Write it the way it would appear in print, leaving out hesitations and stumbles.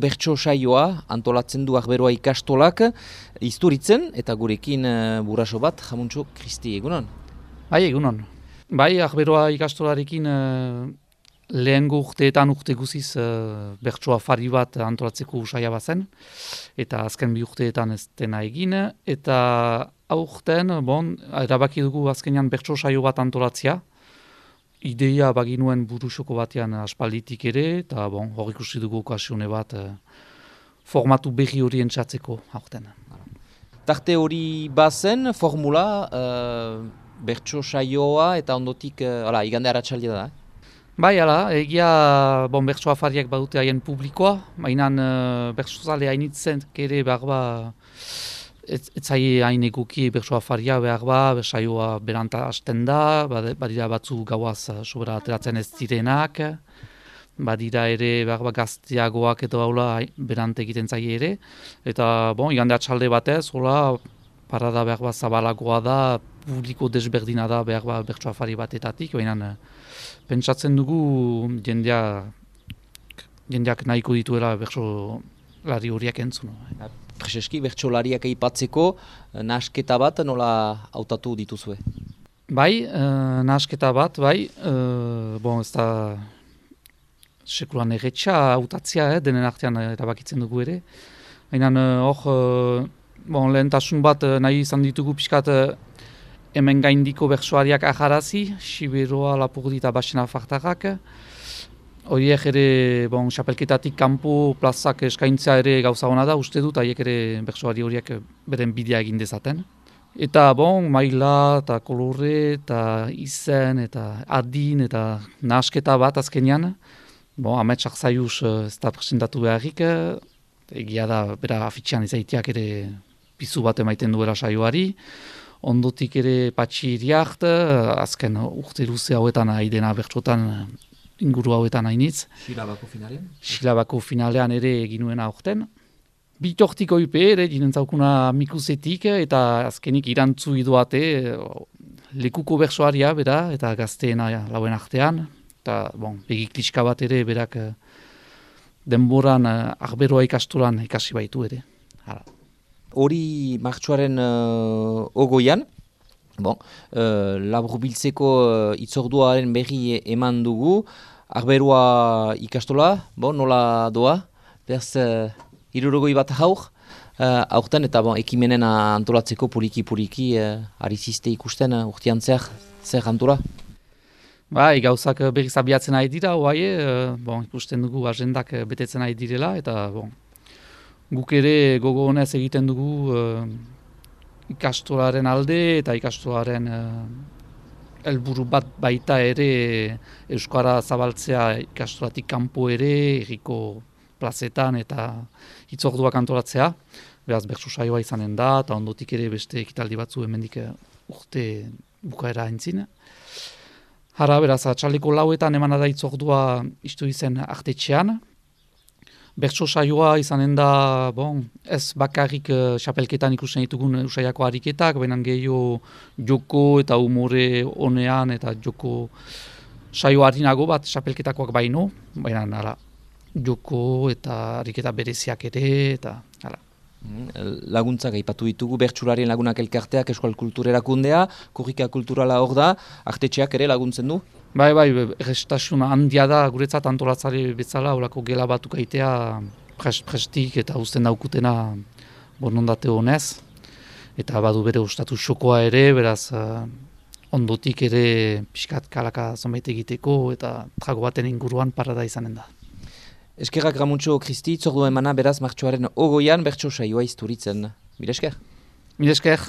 bertso saioa antolatzen du Arberoa ikastolak Izturitzen, eta gurekin burraso bat, Jamuntxo Kristi, egunon? Bai, egunon. Bai, Arberoa ikastolarekin lehengo urteetan urte guziz bertso afari bat antolatzeko saia bazen, eta azken bi urteetan ez dena egin, eta aurten, erabaki dugu azkenean bertso saio bat antolatzea, ideia baginuen burusoko batean aspalditik ere, eta hor ikusi dugu okasione bat formatu berri horien txatzeko aurten. Tarte hori bazen, formula, bertso saioa eta ondotik, igande aratsaldia da. Bai, egia bertso afariak badute haien publikoa, mainan bertso zale hainitzen ere behar ez zai hain eguki bertso afaria behar saioa beranta hasten da, badira batzu gauaz sobera ateratzen ez direnak, badira ere behar gazteagoak edo haula berante egiten zai ere, eta igande atxalde batez, parada behar zabalagoa da, publiko desberdina da behar bertso afari batetatik, baina pentsatzen dugu jendeak nahiko dituela bertso lari horiak entzun. Prezeski, bertsolariak aipatzeko, nahasketa bat nola hautatu dituzue? Bai, nahasketa bat, bai. Ez da sekulan erretxa hautatzea, denen artean erabakitzen dugu ere. Baina hor, lehentasun bat nahi izan ditugu pixkat hemen gaindiko bertsoariak aharazi, Siberoa, Lapurdi eta Baxena Fartarrak. Horiek ere, xapelketatik kanpo plazak eskaintzea ere gauza hona da, uste dut, haiek ere bertsoari horiek beren bidea egin dezaten. Eta maila, eta kolore, eta izen, eta adin, eta nahasketa bat azkenean. Ametsak zaiuz ez da presentatu beharrik, egia da, bera afitxean izaiteak ere pizu bat emaiten duela saioari. Ondotik ere patxi iriart, azken urte luze hauetan haidena bertsotan, inguru hauetan hainitz. Silabako finalean? Silabako finalean ere eginuen aurten. Bitortiko ipe ere dinentzaukuna mikusetik eta azkenik irantzu idoate lekuko bertsoaria bera eta gazteena lauen artean. Eta begik kliska bat ere berak denboran Arberoa ikastolan ikasi baitu ere. Hori martxoaren ogoian, laburbiltzeko itzorduaren berri eman dugu, Arberoa ikastola, nola doa, behaz 60 bat aurten eta ekimenen antolatzeko puriki ari ziste ikusten urtean zer antola? Bai, gauzak berriz abiatzen ari dira, ikusten dugu agendak betetzen ari direla, eta guk ere gogo honez egiten dugu ikastolaren alde eta ikastolaren helburu bat baita ere euskara zabaltzea ikastolatik kanpo ere, herriko plazetan eta hitzorduak antolatzea. Beraz, bertso saioa izanen da, eta ondotik ere beste ekitaldi batzu hemendik urte bukaera entzin. Beraz, atxaldeko lauetan emana da hitzordua istu izen artetxean. Bertso saioa izanen da, ez bakarrik xapelketan ikusten ditugun usaiako ariketak, baina gehiago joko eta umore honean eta joko saio harinago bat xapelketakoak baino, baina joko eta ariketa bereziak ere, eta laguntzak aipatu ditugu, bertsularien lagunak elkarteak, Euskal Kultur Erakundea, korrika kulturala hor da, artetxeak ere laguntzen du? Bai, errestasuna handia da guretzat antolatzari bezala, horako gela batuk aitea prestik eta uzten daukutena borondate honez. Eta badu bere ustatu xokoa ere, beraz ondotik ere pixkat kalaka zonbait egiteko eta trago baten inguruan parada izanen da. Eskerrak Jamuntxo Kristi, itzordua emana beraz martxoaren ogoian bertso saioa Izturitzen. Mila esker? Mila esker.